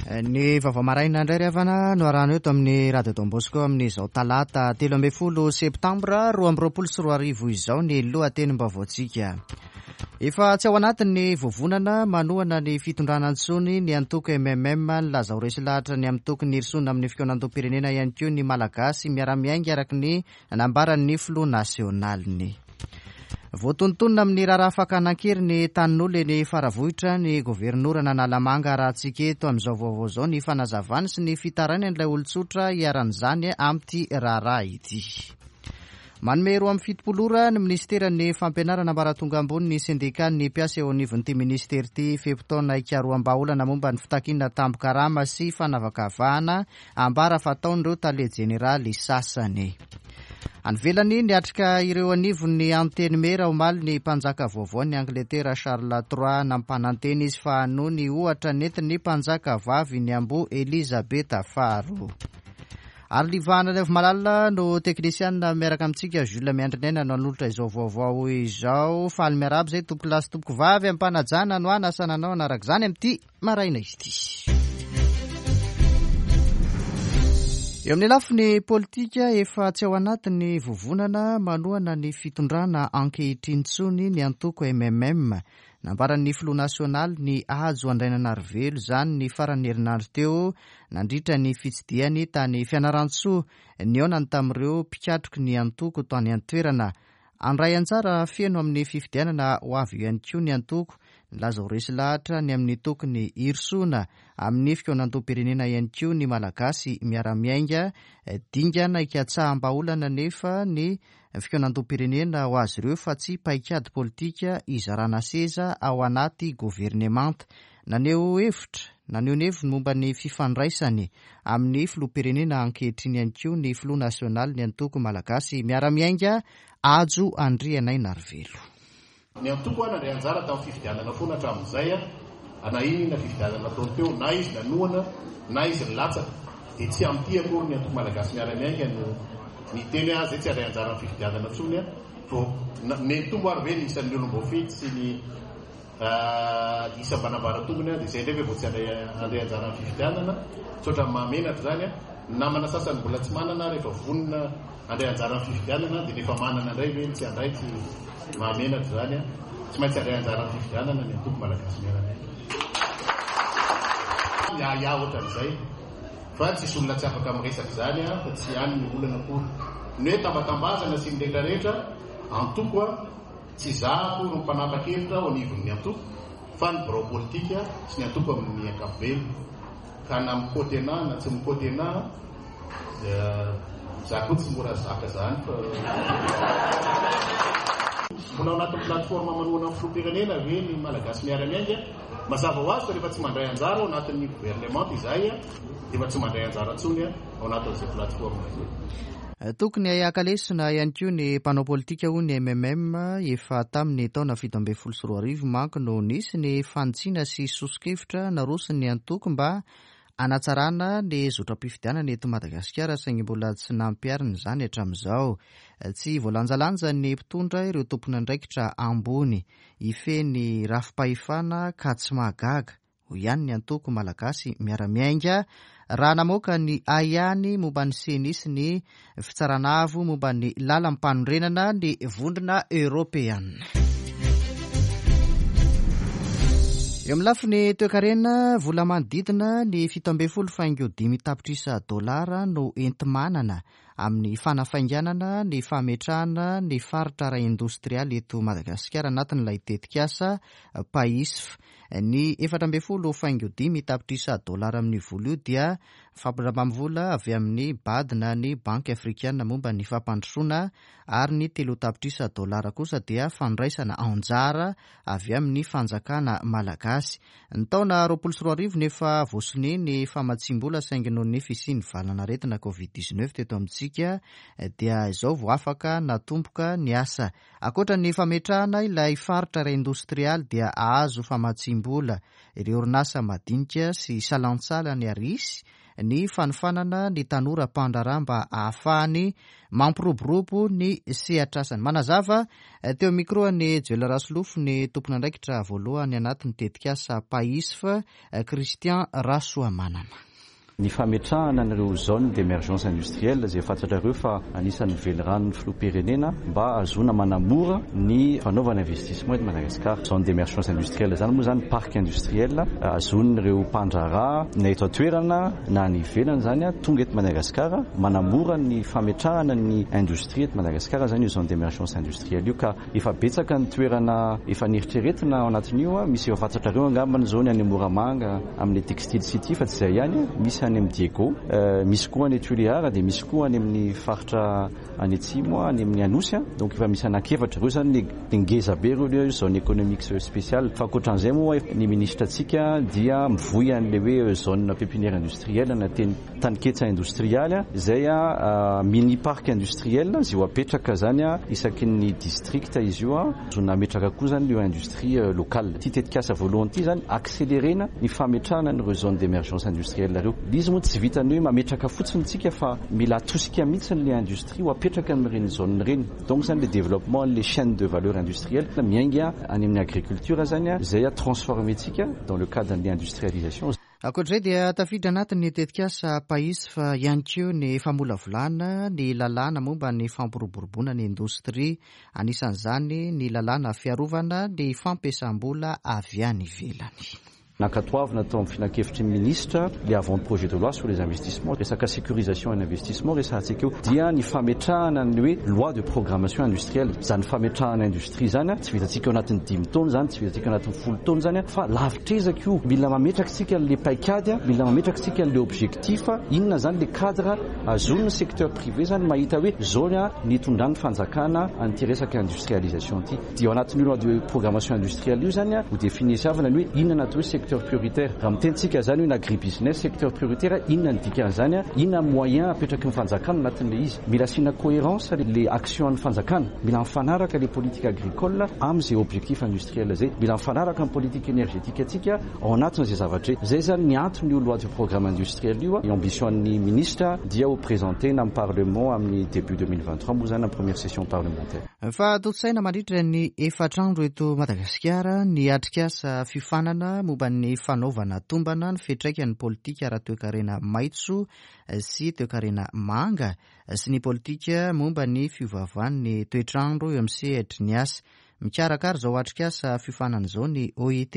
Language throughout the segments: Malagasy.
Ny vaovao maraina indray ry havana no arahana eto amin'ny Radio Don Bosco amin'izao talata 13 septambra 2022 izao ny lohatenim-baovaontsika. Efa tsy ao anatin'ny vovonana manohana ny fitondrana intsony ny antoko MMM. Nilaza ho resy lahatra ny amin'ny tokony hirosoana amin'ny fikaonandoham-pirenena ihany koa ny Malagasy miara-miainga araka ny nambaran'ny filoha nasionaliny. Voatonontonona amin'ny raharaha fakana an-keriny tanin'olona eny Faravohitra ny governoran'Analamanga. Arahantsika eto amin'izao vaovao izao ny fanazavany sy ny fitarainan'ilay olon-tsotra iharan'izany amin'ity raharaha ity. Manome 72 ora ny minisiteran'ny fampianarana ambaratonga ambony ny sendikan'ny mpiasa eo anivon'ity minisitery ity fe-potoana hikaroham-bahaolana momba ny fitakiana tambin-karama sy fanavakavahana Ambara fa ataon'ireo tale jeneraly sasany. Any ivelany, niatrika ireo anivon'ny Antenimiera omaly ny mpanjaka vaovaon'i Angletera Charles trois. Nampanantena izy fa hanohy ny ohatra nentin'ny mpanjaka vavy niamboho Elizabeta faharoa. Ary Livana Raivomalala no teknisianina miaraka amintsika, Jules Miandrinaina no hanolotra izao vaovao izao. Faly miarahaba izay tompokolahy sy tompokovavy am-panajana no hanasana anao hanaraka izany amin'ity maraina ity. Eo amin'ny lafiny politika, efa tsy ao anatin'ny vovonana manohana ny fitondrana ankehitriny intsony ny antoko MMM. Nambaran'ny filoha nasionaly ny Hajo Andrainanarivelo izany ny faran'ny herinandro teo nandritra ny fitsidihany tany Fianarantsoa nihaonany tamin'ireo mpikatroky ny antoko tany an-toerana. Handray anjara feno amin'ny fifidianana ho avy io ihany koa ny antoko. Nilaza ho resy lahatra ny amin'ny tokony hirosoana amin'ny fikaonandoham-pirenena ihany koa ny Malagasy miara-miainga. Dingana hikatsaham-bahaolana anefa ny fikaonandoham-pirenena ho azy ireo fa tsy paikady politika hizarana seza ao anaty governemanta. Naneho hevitra, naneho ny heviny momba ny fifandraisany amin'ny filoham-pirenena ankehitriny ihany koa ny filoha nasionalin'ny antoko Malagasy Miara-Miainga, Hajo Andrianainarivelo. Ny antoko aho nandray anjara tamin'ny fifidianana foana hatramin'izay na inona fifidianana nataony teo, na izy nanohana na izy nilatsaka, dia tsy amin'ity akory ny antoko Malagasy Miara-Miainga no niteny hoe aho izay tsy handray anjara amin'ny fifidianana intsony vao nitombo ary ve ny isan'ny olom-boafidy sy ny Isam-banambaratongony dia izay indray ve vao tsy handray handray anjara amin'ny fifidianana? Tsy ohatran'ny mahamenatra izany an! Ny namana sasany mbola tsy manana ary efa vonona handray anjara amin'ny fifidianana dia ny efa manana indray ve no tsy handray? Tsy mahamenatra izany an! Tsy maintsy handray anjara amin'ny fifidianana ny antoko Malagasy Miara-Miainga. Miahiahy ohatran'izay fa tsisy olona tsy afaka miresaka izany an! Fa tsy any ny olana akory. Ny hoe tambatambazana sy ny rehetrarehetra, antoko an! Tsy izaho akory no mpanapa-kevitra ao anivon'ny antoko fa ny birao politika sy ny antoko amin'ny ankapobeny. Ka na mi-quote anah na tsy mi-quote anah dia izaho koa tsy mora zaka izany fa. Mbola ao anatin'ny plateforme manohana ny filoham-pirenena ve ny Malagasy Miara-Miainga? Mazava ho azy fa rehefa tsy mandray anjara ao anatin'ny governemanta izahay dia efa tsy mandray anjara intsony ao anatin'izay plateforme izay. Tokony haka lesona ihany koa ny mpanao politika hoy ny MMM, efa tamin'ny taona 2017 manko no nisy ny fanitsiana sy soso-kevitra naroson'ny antoko mba hanatsarana ny zotram-pifidianana eto Madagasikara saingy mbola tsy nampiharina izany hatramin'izao. Tsy voalanjalanjan'ny mpitondra ireo tompon'andraikitra ambony hifehy ny rafi-pahefana ka tsy mahagaga hoy ihany ny antoko Malagasy Miara-Miainga raha namoaka ny ahiahiny momba ny Ceni sy ny Fitsarana Avo momba ny Làlam-panorenana ny Vondrona Eoropeana. Eo amin'ny lafiny toekarena, vola manodidina ny 17 faingo 5 tapitrisa dolara no enti-manana amin'ny fanafainganana ny fametrahana ny faritra ara-indostrialy eto Madagasikara anatin'ilay tetikasa PAISF. Ny 14 faingo 5 tapitrisa dolara amin'io vola io dia fampindramam-bola avy amin'ny BAD na ny Banky Afrikana momba ny fampandrosoana ary ny 3 tapitrisa dolara kosa dia fandraisana anjara avy amin'ny fanjakana malagasy. Ny taona 2020 no efa voasonia ny famatsiam-bola saingy noho ny fisian'ny valanaretina Covid dix-neuf teto amintsika dia izao vao afaka natomboka ny asa. Ankoatra ny fametrahana ilay faritra ara-indostrialy dia ahazo famatsiam-bola ireo orinasa madinika sy salantsalany ary hisy ny fanofanana ny tanora mpandraharaha mba hahafahany mampiroborobo ny sehatr'asany. Manazava teo amin'ny micro an'i Joel Rasolofo ny tompon'andraikitra voalohany anatin'ny tetikasa PAISF, Christian Rasoamanana. Ny fametrahana an'ireo zones d'emergence industrielle izay fantatrareo fa anisan'ny veliranon'ny filoham-pirenena mba hahazoana manamora ny fanaovana investissement eto Madagasikara. Zone d'emergence industrielle izany moa izany parc industriel ahazoan'ireo mpandraharaha na eto an-toerana na any ivelany izany tonga eto Madagasikara, manamora ny fametrahana ny indostria eto Madagasikara izany io zone d'emergence industrielle io ka Efa betsaka ny toerana efa neritreretina ao anatin'io, misy efa fantatrareo angambany izao ny any Moramanga amin'ilay Textile City fa tsy izay ihany, misy any amin'ny Diego, misy koa any Tuléar dia misy koa any amin'ny faritra any Atsimo, any amin'ny Anosy, donc efa misy anankiefatra, ireo izany ny ngeza be ireo ilay hoe zone économique spéciale, fa ankoatran'izay moa ny minisitra antsika dia mivoy an'ilay hoe zone pépinière industrielle na teny Taninketsa indostrialy izay mini parc industriel izay ho apetraka izany isaky ny district izy io, azona ametraka koa izany ireo industrie locale. Ity tetikasa voalohany ity izany accélérer-na ny fametrahana an'ireo zone d'emergence industrielle ireo. Ilay izy moa tsy vitan'ny hoe mametraka fotsiny isika fa mila atosika mihitsy ilay industrie ho apetraka amin'ireny zone ireny. Donc izany ilay développement an'ilay chaine de valeur industrielle miainga any amin'ny agriculture izany izay transformer-tsika dans le cadre an'ilay industrialisation. Ankoatra izay dia tafiditra anatin'ny tetikasa PAISF ihany koa ny famolavolana ny lalàna momba ny fampiroboroboana ny indostria, anisan'izany ny lalàna fiarovana ny fampiasam-bola avy any ivelany. Nankatoavina tao amin'ny filankevitry ny minisitra ilay avant-projet de loi sur les investissements, resaka sécurisation en investissement resahantsika io, dia ny fametrahana ny hoe loi de programmation industrielle. Izany fametrahana industria izany tsy vitantsika ao anatin'ny dimy taona izany, tsy vitantsika ao anatin'ny folo taona izany fa lavitr'ezaka io. Mila mametraka isika an'ilay paikady, mila mametraka isika an'ilay objectif, inona izany ilay cadre ahazoan'ny secteur privé izany mahita hoe izao ny hitondran'ny fanjakana an'ity resaka industrialisation ity. Dia ao anatin'io loi de programmation industrielle io izany ho definisiavana ny hoe inona ny atao hoe secteur prioritaire. Raha miteny isika izany hoe ny agribusiness secteur prioritaire, inona ny dikan'izany, inona ny moyen apetraky ny fanjakana anatin'ilay izy. Mila asiana cohérence ilay action an'ny fanjakana. Mila mifanaraka ilay politique agricole amin'izay objectif industriel izay. Mila mifanaraka amin'ny politique énergétique antsika ao anatin'izay zavatra izay. Izay izany ny anton'io loi de programme industriel io. Ny ambition an'ny ministra dia ho présenter-na amin'ny parlement amin'ny début 2023 moa izany amin'ny première session parlementaire. Fa tontosaina mandritra ny efatra andro eto Madagasikara ny atrikasa fiofanana momba ny fanaovana tombana ny fiantraikan'ny politika ara-toekarena maitso sy toekarena manga sy ny politika momba ny fiovaovan'ny toetr'andro eo amin'ny sehatry ny asa. Mikarakara izao atrikasa fiofanana izao ny OIT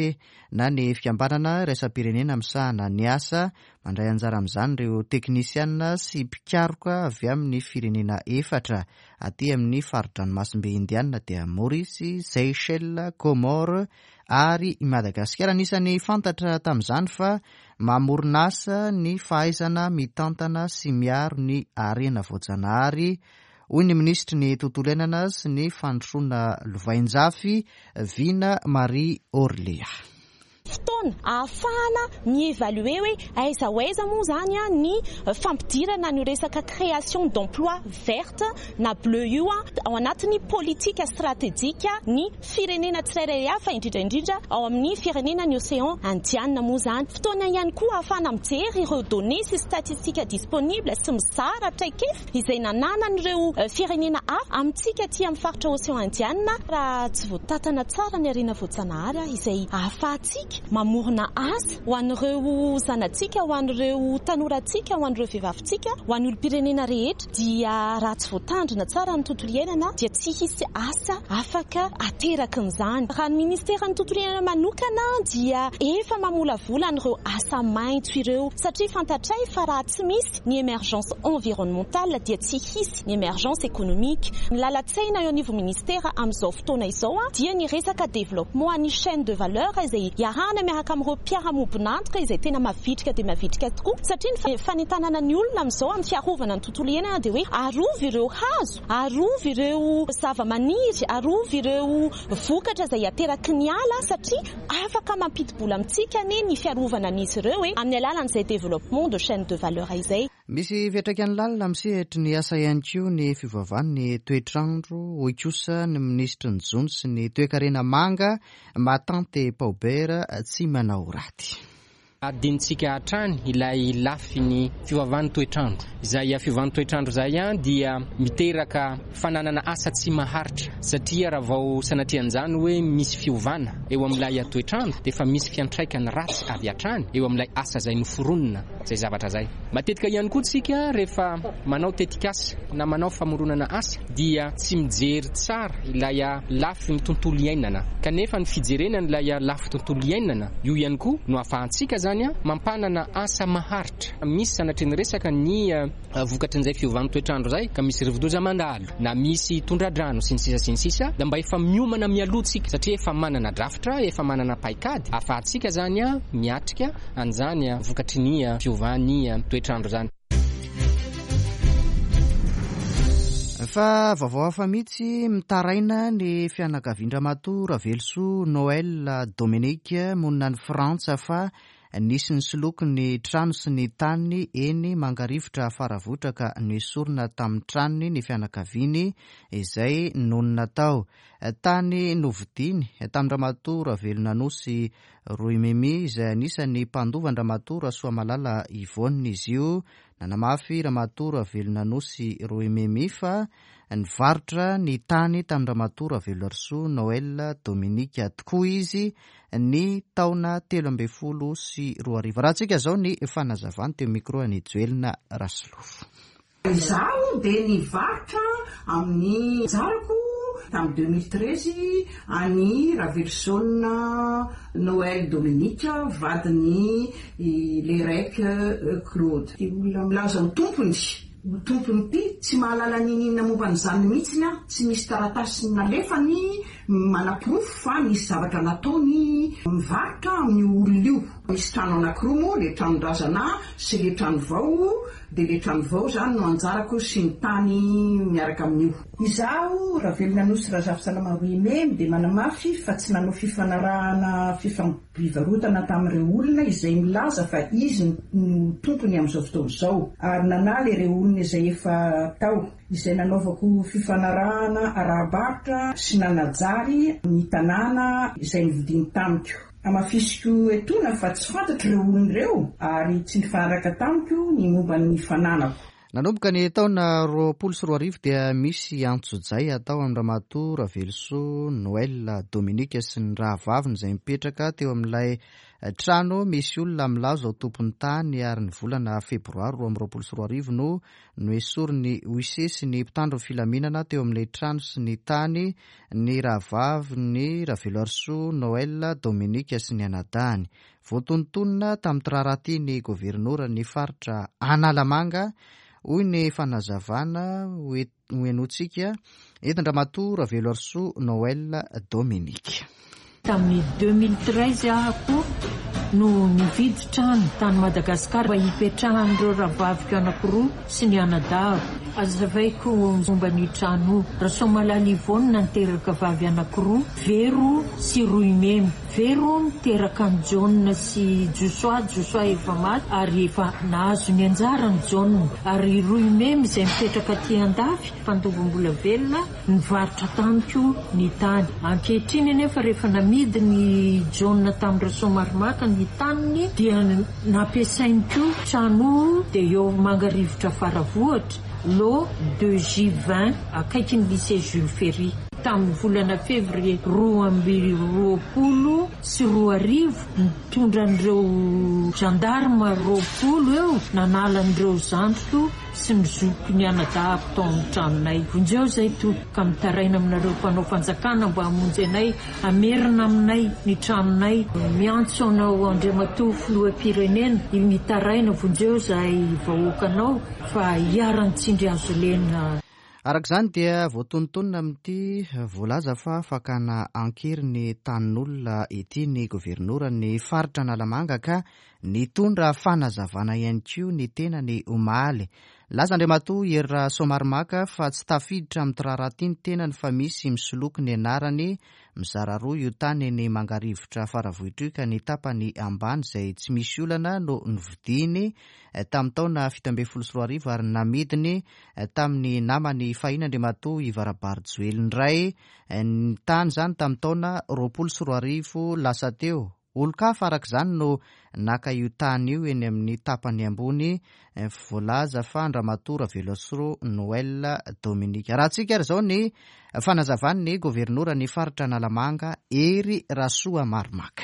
na ny Fikambanana iraisam-pirenena misahana ny asa. Mandray anjara amin'izany ireo teknisiana sy mpikaroka avy amin'ny firenena efatra aty amin'ny fari-dranomasimbe Indiana dia Maorisy, Seychelles, Comores ary i Madagasikara. Anisan'ny fantatra tamin'izany fa mamorona asa ny fahaizana mitantana sy miaro ny harena voajanahary, hoy ny minisitry ny Tontolo iainana sy ny fandrosoana lovainjafy, Vina Marie Orléa. Fotoana ahafahana mi-evaluer hoe aiza ho aiza moa izany ny fampidirana an'io resaka création d'emploi verte na bleu io ao anatin'ny politika stratejika ny firenena tsirairay avy fa indrindra indrindra ao amin'ny firenena ny Océan Indiana moa izany. Fotoana ihany koa ahafahana mijery ireo données sy statistiques disponibles sy mizara traikefa izay nananan'ireo firenena hafa amintsika aty amin'ny faritra Ocean Indiana raha tsy voatantana tsara ny harena voajanahary izay ahafahantsika mamorona asa ho an'ireo zanatsika, ho an'ireo tanorantsika, ho an'ireo vehivavintsika, ho an'ny olom-pirenena rehetra dia raha tsy voatandrina tsara ny tontolo iainana dia tsy hisy asa afaka aterakin'izany. Raha ny ministeran'ny tontolo iainana manokana dia efa mamolavola an'ireo asa maitso ireo satria fantatray fa raha tsy misy ny émergence environnementale dia tsy hisy ny émergence économique. Ny lalan-tsaina eo anivon'ny ministera amin'izao fotoana izao dia ny resaka développement an'ny chaîne de valeur izay iarahana miaraka amin'ireo mpiara-miombon'antoka izay tena mavitrika dia mavitrika tokoa satria ny fanentanana ny olona amin'izao amin'ny fiarovana ny tontolo iainana dia hoe arovy ireo hazo, arovy ireo zava-maniry, arovy ireo vokatra izay ateraky ny ala satria Afaka mampidi-bola amintsika anie ny fiarovana an'izy ireo e, amin'ny alalan'izay développement de chaîne de valeur izay. Misy fiantraikany lalina amin'ny sehatry ny asa ihany koa ny fiovaovan'ny toetr'andro, hoy kosa ny minisitry ny jono sy ny toekarena manga, Matante Paubert Tsimanaoraty. Adinontsika hatrany ilay lafiny fiovavan'ny toetr'andro. Izay fiovan'ny toetr'andro izay dia miteraka fananana asa tsy maharitra satria raha vao sanatrian'izany hoe misy fiovana eo amin'ilay toetr'andro dia efa misy fiantraikany ratsy avy hatrany eo amin'ilay asa izay noforonina izay zavatra izay. Matetika ihany koa tsika rehefa manao tetikasa na manao famoronana asa dia tsy mijery tsara ilay lafiny tontolo iainana kanefa ny fijerena an'ilay lafy tontolo iainana io ihany koa no ahafahantsika izany mampanana asa maharitra. Misy sanatria ny resaka ny vokatrin'izay fiovan'ny toetr'andro izay ka misy rivodoza mandalo na misy tondra-drano sy ny sisa sy ny sisa dia mba efa miomana mialoha tsika satria efa manana drafitra, efa manana paikady ahafahantsika izany miatrika an'izany vokatry ny fiovan'ny toetr'andro izany. Fa vaovao hafa mihitsy, mitaraina ny fianakavian-dRamatoa Ravelosoa Noël Dominique monina any Frantsa fa nisy nisoloky ny trano sy ny taniny eny Mangarivotra Faravohitra ka noesorina tamin'ny tranony ny fianakaviany izay nonina tao. Tany novidiany tamin-dRamatoa Ravelonanosy Roimemy izay anisan'ny mpandova an-dRamatoa Rasoamalala Yvonne izy io. Nanamafy Ramatoa Ravelonanosy Roimemy fa nivarotra ny tany tamin-dRamatoa Raveloarisoa Noël Dominique tokoa izy ny taona 2013. Arahantsika izao ny fanazavany teo micro an'i Joelina Rasolofo. Izaho dia nivarotra amin'ny anjarako tamin'ny 2013 an'i Raveloson Noël Dominique vadin'i Lerec Claude. Ity olona milaza ho tompony, ho tompon'ity, tsy mahalala n'inon'inona momba an'izany mihitsiny aho, tsy misy taratasy nalefany manaporofo fa nisy zavatra nataony mivarotra amin'io olona io. Misy trano anakiroa moa, ilay tranon-drazana sy ilay trano vao, dia ilay trano vao izany no anjarako sy ny tany miaraka amin'io. Izaho, Ravelonanosy Razafisalama Roimemy, dia manamafy fa tsy nanao fifanarahana fifampivarotana tamin'ireo olona izay milaza fa izy no tompony amin'izao fotoana izao, ary nanala ireo olona izay efa tao, izay nanaovako fifanarahana ara-barotra sy nanajary ny tanàna izay novidiany tamiko. Hamafisiko etoana fa tsy fantatro ireo olona ireo ary tsy nifanaraka tamiko ny momba ny fananako. Nanomboka ny taona 2020 dia misy antsojay atao amin-dRamatoa Ravelosoa Noël Dominique sy ny rahavaviny izay mipetraka teo amin'ilay trano misy olona milaza ho tompon'ny tany ary ny volana febroary 2022 no noesorin'ny huissier sy ny mpitandro ny filaminana teo amin'ilay trano sy ny tany ny rahavaviny Raveloarisoa Noël Dominique sy ny anadahiny. Voatonontonona tamin'ity raharaha ity ny governoran'ny faritra Analamanga, hoy ny fanazavana hohenointsika entin-dRamatoa Raveloarisoa Noël Dominique. Tamin'ny 2013 aho koa no nividy trano tany Madagasikara mba hipetrahan'ireo rahavaviko anankiroa sy ny anadahiko. Hazavaiko momba an'io trano io. Rasoamalala Yvonne niteraka vavy anankiroa, Vero sy Roimemy. Vero niteraka an'i Jaona sy Josoa, Josoa efa maty ary efa nahazo ny anjarany Jaona. Ary Roimemy izay mipetraka aty andafy, mpandova mbola velona, Nivarotra tamiko ny tany. Ankehitriny anefa rehefa namidin'i Jaona tamin'i Rasoamaromaka ny taniny dia nampiasainy koa trano dia eo Mangarivotra Faravohitra, lot deux J 20, akaikin'ny lycée Jules Ferry. Tamin'ny volana fevrier 2022 nitondra an'ireo gendarmes 20 eo nanala an'ireo zandriko sy ny zokiko ny anadahako tao amin'ny tranonay. Vonjeo izay Tompo, ka mitaraina aminareo mpanao fanjakana mba hamonjy anay, hamerina aminay ny tranonay. Miantso anao Andriamatoa Filoham-pirenena, mitaraina, vonjeo izahay vahoakanao fa iharan'ny tsindry hazo lena. Araka izany dia voatonontonona amin'ity voalaza fa fakana an-kery ny tanin'olona ity ny governoran'ny faritra Analamanga ka Nitondra fanazavana ihany koa ny tenany omaly. Nilaza Andriamatoa Hery Rasoamaromaka fa tsy tafiditra amin'ity raharaha ity ny tenany fa misy misoloky ny anarany. Mizara roa io tany eny Mangarivotra Faravohitra io ka ny tapany ambany izay tsy misy olana no novidiany tamin'ny taona 2017 ary namidiny tamin'ny namany fahiny Andriamatoa Yves Rabarijoelina indray ny tany izany tamin'ny taona 2020 lasa teo. Olon-kafa araka izany no naka io tany io eny amin'ny tapany ambony voalaza fa an-dRamatoa Raveloasro Noël Dominique. Arahantsika ary izao ny fanazavan'ny governoran'ny faritra Analamanga, Hery Rasoamaromaka.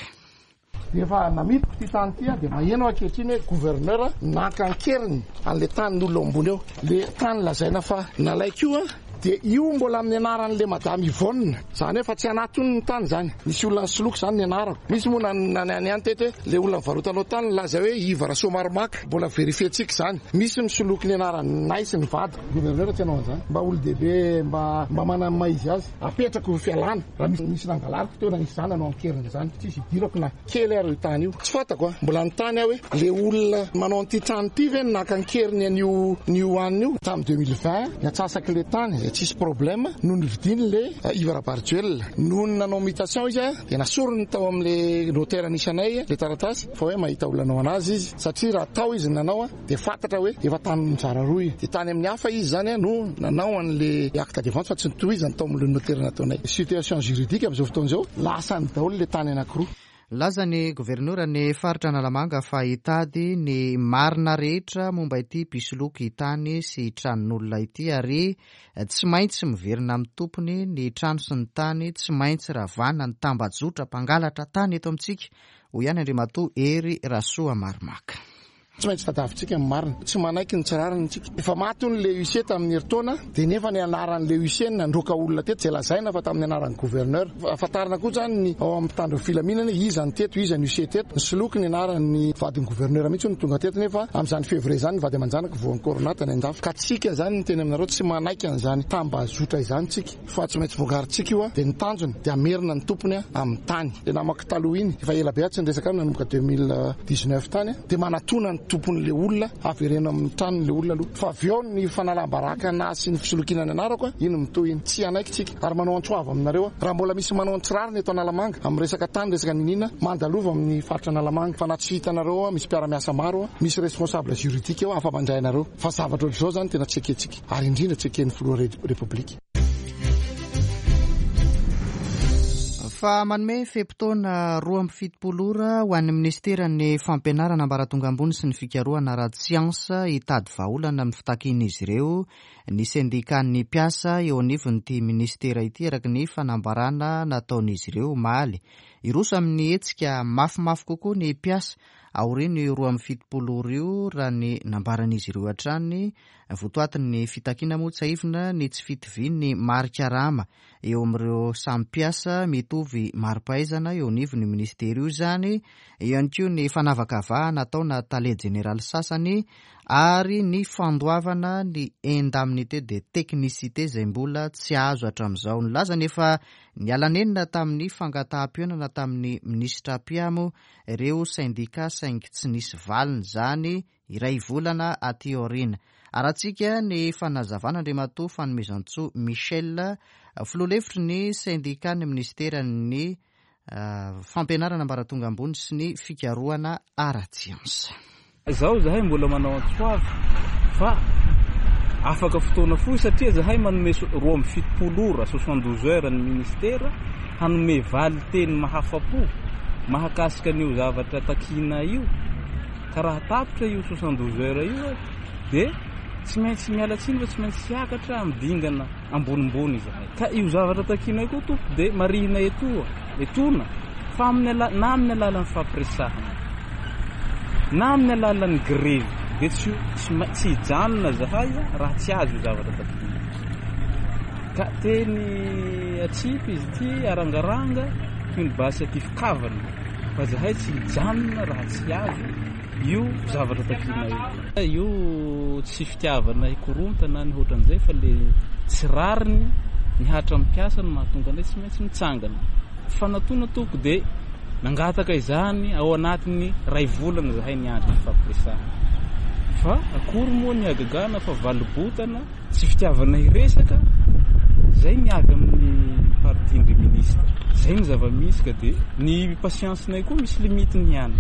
Efa namidiko ity tany ity aho dia maheno aho ankehitriny hoe gouverneur naka an-keriny an'ilay tanin'olona ao ambony eo. Ilay tany lazaina fa nalaiko io dia io mbola amin'ny anaran'ilay madame Yvonne. Izany hoe efa tsy anaty hono ny tany izany. Nisy olona nisoloky izany ny anarako. Misy moa na ny teto hoe ilay olona nivarotanao tany nilaza hoe Yves Rasoamaromaka. Mbola verifier-tsika izany. Misy misoloky ny anaranay sy ny vadiko. Gouverneur tsy hanao an'izany. Mba olon-dehibe mba mba manana ny maha izy azy. Apetrako ho fialana. Raha misy nisy nangalariko teo na nisy zany nanao an-keriny izany, tsisy idirako na kely ary io tany io. Tsy fantako an! Mbola nanontany aho hoe le olona manao an'ity trano ity ve no naka an-keriny an'io an'io anona io? Tamin'ny 2020, ny antsasak'le tany izay tsisy problème no novidiany le Yves Rabarijoelina. Nony nanao mutation izy dia nasoriny tao amin'le notaire nisy anay le taratasy fa hoe mahita olona hanao an'azy izy satria raha tao izy no nanao Dia fantatra hoe efa tany mizara roa io. Dia tany amin'ny hafa izy izany no nanao an'ilay acte de vente fa tsy notohizany tao amin'ilay notaire nataonay. Situation juridique amin'izao fotoana izao, lasany daholo ilay tany anankiroa. Nilaza ny governoran'ny faritra Analamanga fa hitady ny marina rehetra momba ity mpisoloky tany sy tranon'olona ity ary tsy maintsy miverina amin'ny tompony ny trano sy ny tany, tsy maintsy ravana ny tambajotra mpangalatra tany eto amintsika, hoy ihany Andriamatoa Hery Rasoamaromaka. Tsy maintsy tadiavintsika ny marina. Tsy manaiky ny tsy rariny isika. Efa maty hono ilay huissier tamin'ny herintaona, dia nefa ny anaran'ilay huissier no nandroaka olona teto, izay lazaina fa tamin'ny anaran'ny gouverneur. Fantarina koa izany ny ao amin'ny mpitandro ny filaminana hoe iza no teto, iza ny huissier teto. Nisoloky ny anaran'ny vadin'ny gouverneur mihitsy hono tonga teto nefa amin'izany février izany ny vady aman-janako voan'ny corona tany an-dafy. Ka tsika izany miteny aminareo tsy manaiky an'izany tambazotra izany tsika. Fa tsy maintsy vogarintsika io dia ny tanjona dia hamerina ny tompony amin'ny tany. Ilay namako taloha iny, efa ela be aho tsy niresaka aminy nanomboka 2019 tany, dia manatona ny tompon'ilay olona, avereno amin'ny tranony ilay olona aloha. Fa avy eo ny fanalam-baraka an'ahy sy ny fisolokiana ny anarako, iny mitohy iny. Tsy hanaiky tsika. Ary manao antso avo aminareo aho, raha mbola misy manao ny tsy rariny eto Analamanga, amin'ny resaka tany, resaka niniana, mandalova amin'ny faritra Analamanga. Fa na tsy hitanareo ao, misy mpiara-miasa maro ao, misy responsable juridique ao afa-mandray anareo. Fa zavatra ohatr'izao izany tena tsy ekentsika. Ary indrindra tsy eken'ny filoha Repoblika. Fa manome fe-potoana 72 ora ho an'ny minisiteran'ny Fampianarana ambaratonga ambony sy ny fikarohana ara-tsiansa hitady vahaolana amin'ny fitakian'izy ireo ny sendikan'ny mpiasa eo anivon'ity minisitera ity araka ny fanambarana nataon'izy ireo omaly. Hiroso amin'ny hetsika mafimafy kokoa ny mpiasa aorian'io 72 ora io raha ny nambaran'izy ireo hatrany. Votoatin'ny fitakiana moa tsiahivina ny tsy fitovian'ny mari-karama eo amin'ireo samy mpiasa mitovy mari-pahaizana eo anivon'io minisitera io izany, eo ihany koa ny fanavakavahana ataona tale jeneraly sasany ary ny fandoavana ny indemnité de technicité izay mbola tsy azo hatramin'izao. Nilaza ny efa niala nenina tamin'ny fangataham-pihaonana tamin'ny minisitra mpiamo ireo sendika saingy tsy nisy valiny izany Iray volana aty aoriana. Arahantsika ny fanazavana Andriamatoa Fanomezantsoa Michel, filoha lefitry ny sendikan'ny minisiteran'ny Fampianarana ambaratonga ambony sy ny fikarohana ara-tsiansa. Izao izahay mbola manao antso avo fa afaka fotoana fohy satria izahay manome 72 ora, 72 heures, ny ministera hanome valin-teny mahafa-po mahakasika an'io zavatra takiana io. Ka raha tapitra io 72 heures io dia tsy maintsy miala tsiny fa tsy maintsy hiakatra amin'ny dingana ambonimbony izahay. Ka io zavatra takianay koa tompoko dia marihina etoa, etoana fa amin'ny ala, na amin'ny alalan'ny fampiresahana na amin'ny alalan'ny grevy dia tsy tsy tsy hijanona zahay raha tsy azo io zavatra takiana io. Ka teny atsipy izy ity arangaranga toy ny basy atifi-kavana. Fa zahay tsy hijanona raha tsy azo io zavatra takiana io. Io tsy fitiavana hikorontana ny hoatran'izay fa le tsy rariny mihatra amin'ny mpiasa no mahatonga anay tsy maintsy mitsangana. Fanatona tompoko dia nangataka izany ao anatin'ny ray volana zahay niandry fifampiresahana. Fa akory moa ny hagagana fa valobotana Tsy fitiavana hiresaka, zay ny avy amin'ny parti-ndry ministre. Zay ny zava-misy ka dia ny patience-nay koa misy limite-ny ihany.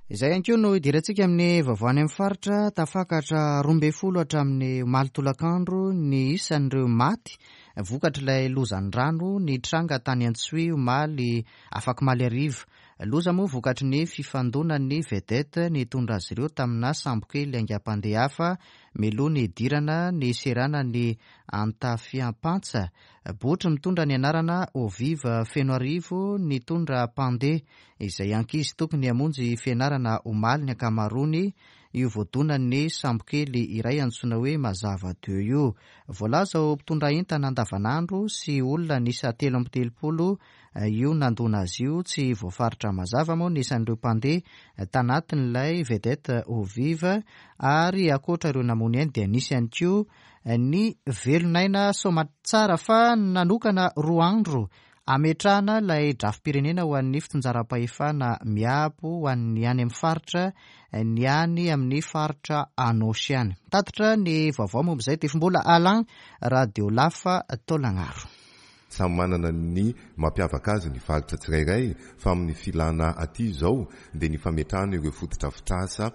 Izay ihany koa no hidirantsika amin'ny vaovao any amin'ny faritra. Tafakatra 12 hatramin'ny omaly tolakandro ny isan'ireo maty vokatr'ilay lozan'ny rano nitranga tany Antsohihy omaly afakomaly hariva. Loza moa vokatry ny fifandonan'ny vedette nitondra azy ireo tamina sambokely haingam-pandeha hafa mialoha ny hidirana ny seranan'i Antafiampantsa. Botry mitondra ny anarana Eau Vive Fenoarivo nitondra mpandeha izay ankizy tokony hamonjy fianarana omaly ny ankamaroany io voadonan'ny sambokely iray antsoina hoe Mazava Deux io. Voalaza ho mpitondra entana andavanandro sy olona niisa 33 io nandona azy io. Tsy voafaritra mazava moa ny isan'ireo mpandeha tanatin'ilay vedette Eau Vive ary ankoatra ireo namono ainy dia nisy ihany koa ny velon'aina soamatsara fa nanokana 2 andro ametrahana ilay drafi-pirenena ho an'ny fitsinjaram-pahefana miabo ho an'ny any amin'ny faritra ny any amin'ny faritra Anôsy any. Mitatitra ny vaovao momba izay Tefimbola Alain, Radio Lafa Taolagnaro. Samy manana ny mampiavaka azy ny faritra tsirairay fa amin'ny filana aty izao dia ny fametrahana ireo fotodrafitrasa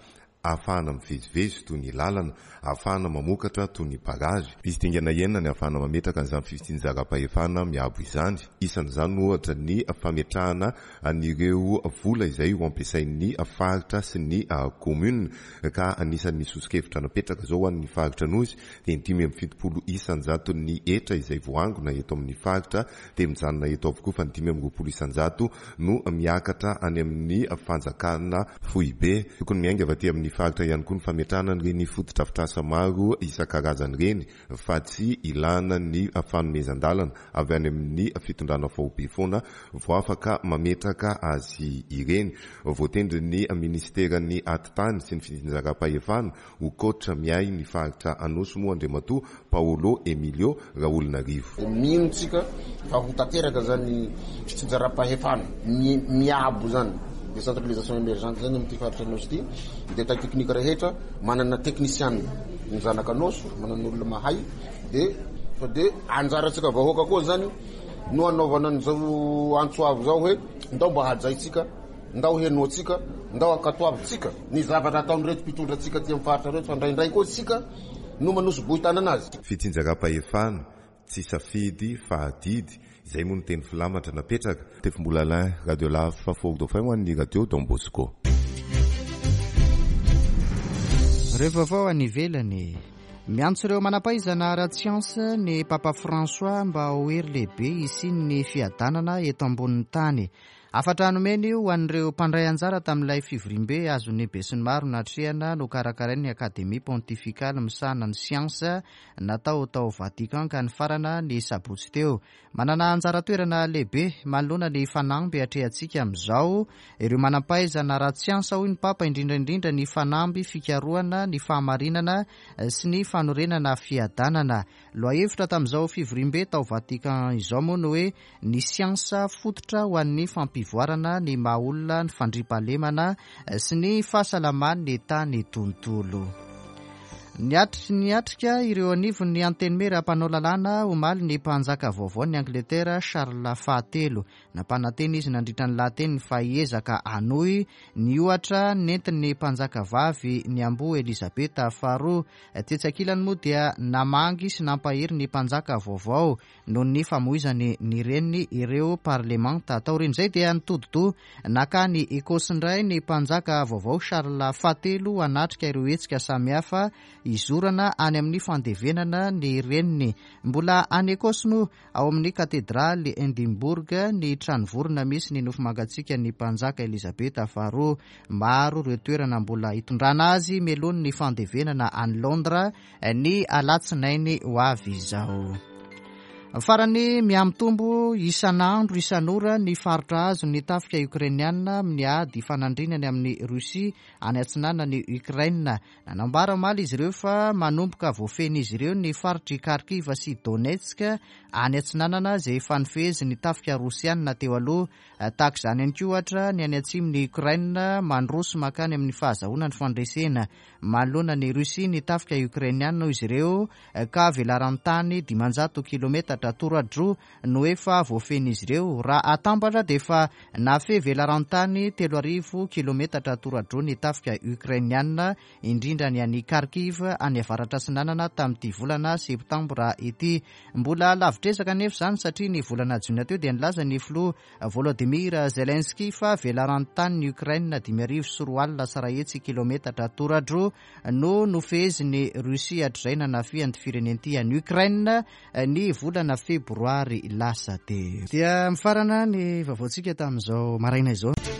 ahafahana mivezivezy toy ny lalana, ahafahana mamokatra toy ny barrage. Misy dingana enina ny ahafahana mametraka an'izany fitsinjaram-pahefana miabo izany. Isan'izany ohatra ny fametrahana an'ireo vola izay ho ampiasain'ny faritra sy ny commune ka anisan'ny soso-kevitra napetraka izao ho an'ny faritra Anosy dia ny 75 isan-jaton'ny hetra izay voaangona eto amin'ny faritra dia mijanona eto avokoa fa ny 25% no miakatra any amin'ny fanjakana foibe. Tokony miainga avy aty amin'ny faritra ihany koa ny fametrahana an'ireny fotodrafitrasa maro isan-karazany ireny fa tsy ilana ny fanomezan-dalana avy any amin'ny fitondrana faobe foana vao afaka mametraka azy ireny. Voatendrin'ny minisiteran'ny Atitany sy ny fitsinjaram-pahefana Ho coach miahy ny faritra Anosy moa Andriamatoa Paolo Emilio Raholinarivo. Mino tsika fa ho tanteraka zany fitsinjaram-pahefana miabo zany, décentralisation émergente zany amin'ity faritra Anosy ity. Ny détail technique rehetra, manana technician ny zanak'Anosy, manana olona mahay de fa de anjarantsika vahoaka koa zany no anaovana an'izao antso avo zao hoe ndao mba hajaintsika. Ndao henoantsika, ndao ankatoavintsika ny zavatra ataon'ireto mpitondra antsika aty amin'ny faritra ireto fa indraindray koa isika no manosi-bohon-tanana azy. Fitsinjaram-pahefana, tsy safidy fa adidy, izay moa no teny filamatra napetraka. Tefimbola Alain, Radio Laf Fort Dauphin ho an'ny Radio Don Bosco. Ireo vaovao any ivelany. Miantso ireo manam-pahaizana ara-tsiansa ny Papa François mba ho hery lehibe hisian'ny fiadanana eto ambonin'ny tany. Hafatra nomeny io ho an'ireo mpandray anjara tamin'ilay fivoriambe azon'ny besinimaro natrehana nokarakarain'ny Akademia Pontifikaly misahana ny Siansa natao tao Vatican ka nifarana ny sabotsy teo. Manana anjara toerana lehibe manoloana ny fanamby atrehantsika amin'izao ireo manam-pahaizana ara-tsiansa hoy ny Papa, indrindra indrindra ny fanamby fikarohana ny fahamarinana sy ny fanorenana fiadanana. Lohahevitra tamin'izao fivoriambe tao Vatican izao moa ny hoe Ny siansa fototra ho an'ny fampivoarana ny maha olona, ny fandriampahalemana sy ny fahasalaman'ny tany tontolo. Niatrika ireo anivon'ny Antenimiera mpanao lalàna omaly ny mpanjaka vaovaon'i Angletera Charles fahatelo. Nampanantena izy nandritra ny lahateniny fa hiezaka hanohy ny ohatra nentin'ny mpanjaka vavy niamboho Elizabeta faharoa. Tetsy ankilany moa dia namangy sy nampahery ny mpanjaka vaovao noho ny famoizany ny reniny ireo parlemanta. Taorian'izay dia nitodi-doha nankany Ecosse indray ny mpanjaka vaovao Charles fahatelo hanatrika ireo hetsika samihafa hizorana any amin'ny fandevenana ny reniny. Mbola any Ecosse moa, ao amin'ny katedraly Edinburgh, ny tranovorona misy ny nofo mangatsiakan'ny mpanjaka Elizabeta faharoa. Maro ireo toerana mbola hitondrana azy mialoha ny fandevenana any Londres ny alatsinainy ho avy izao. Farany, mihamitombo isan'andro isan'ora ny faritra azon'ny tafika Ukrainiana amin'ny ady ifanandrinany amin'i Russie any atsinanan'i Ukraine. Nanambara omaly izy ireo fa manomboka voafehin'izy ireo ny faritr'i Kharkiv sy Donetsk any atsinanana izay efa nifehezin'ny tafika Rosiana teo aloha. Tahaka izany ihany koa ohatra ny any atsimon'i Ukraine mandroso mankany amin'ny fahazahoana ny fandresena. Manoloana an'i Russie ny tafika Ukrainiana hoy izy ireo ka velaran-tany 500 kilometatra. kilometatra toradroa no efa voafehin'izy ireo. Raha atambatra dia efa nahafehy velaran-tany 3000 kilometatra toradroa ny tafika Ukrainiana, indrindra ny any Kharkiv any avaratra atsinanana tamin'ity volana septambra ity. Mbola lavitr'ezaka anefa izany satria ny volana jona teo dia nilaza ny filoha Volodymyr Zelensky fa velaran-tanin'i Ukraine 250 kilometatra toradroa no nofehezin'i Russie hatrizay nanafihan'ity firenena ity an'i Ukraine ny volana febroary lasa teo. Dia mifarana ny vaovaontsika tamin'izao maraina izao.